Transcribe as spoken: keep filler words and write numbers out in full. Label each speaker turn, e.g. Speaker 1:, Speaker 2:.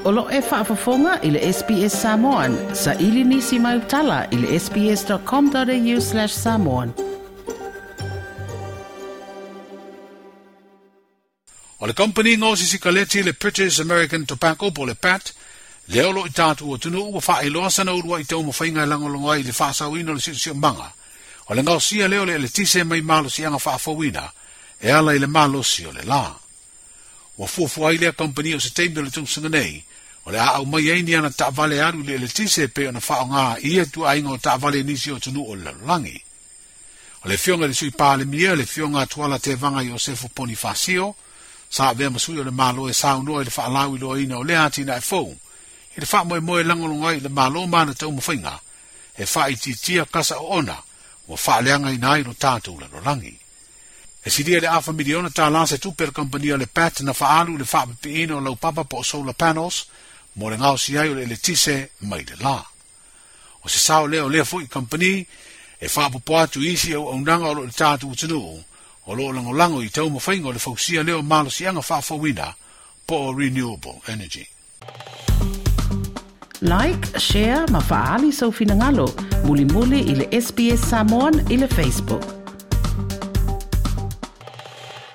Speaker 1: O lo e faafofoga i le S B S Samoan, sa ili nisi mai utala i le S B S dot com dot A U slash samoan.
Speaker 2: O le company gaosi sikaleti le British American Tobacco po le B A T, lea o lo i tatou atunuu ua faailoa sana uluai taumafaiga e lagolago ai i le faasaoina o le siosiomaga. O le gaosia lea o le eletise mai malosiaga faafouina e ala i le malosi o le la. Ua fuafua ai lea kampani o se taimi o le tausaga nei, o le a aumai ai ni ana taavale alu i le eletise pei ona faaaoga ia ituaiga o taavale nisi o atunuu o le lalolagi. O le afioga i le sui palemia, le afioga Tuala Tevaga Iosefo Ponifasio, sa avea ma sui o le Malo e saunoa i le faalauiloaina o lea atinae fou, i le faamoemoe lagolago ai i le Malo ma ana taumafaiga, e faaitiitia kasa oona ua faaleagaina ai lo tatou lalolagi. E silia le afa miliona tālā se tupe le kampania le B A T na faaalu le faapipiina o laupapa po o solar panels mo le gaosi ai o le eletise mai le la. O se sao lea o lea foi kampani e faapopo atu isi auaunaga o lo o le tatou atunuu o lo o lagolago i taumafaiga o le fausia lea o malosiaga faafouina po o renewable energy.
Speaker 1: Like, share ma faaali sou finagalo. Mulimuli i le S B S Samoan i le Facebook.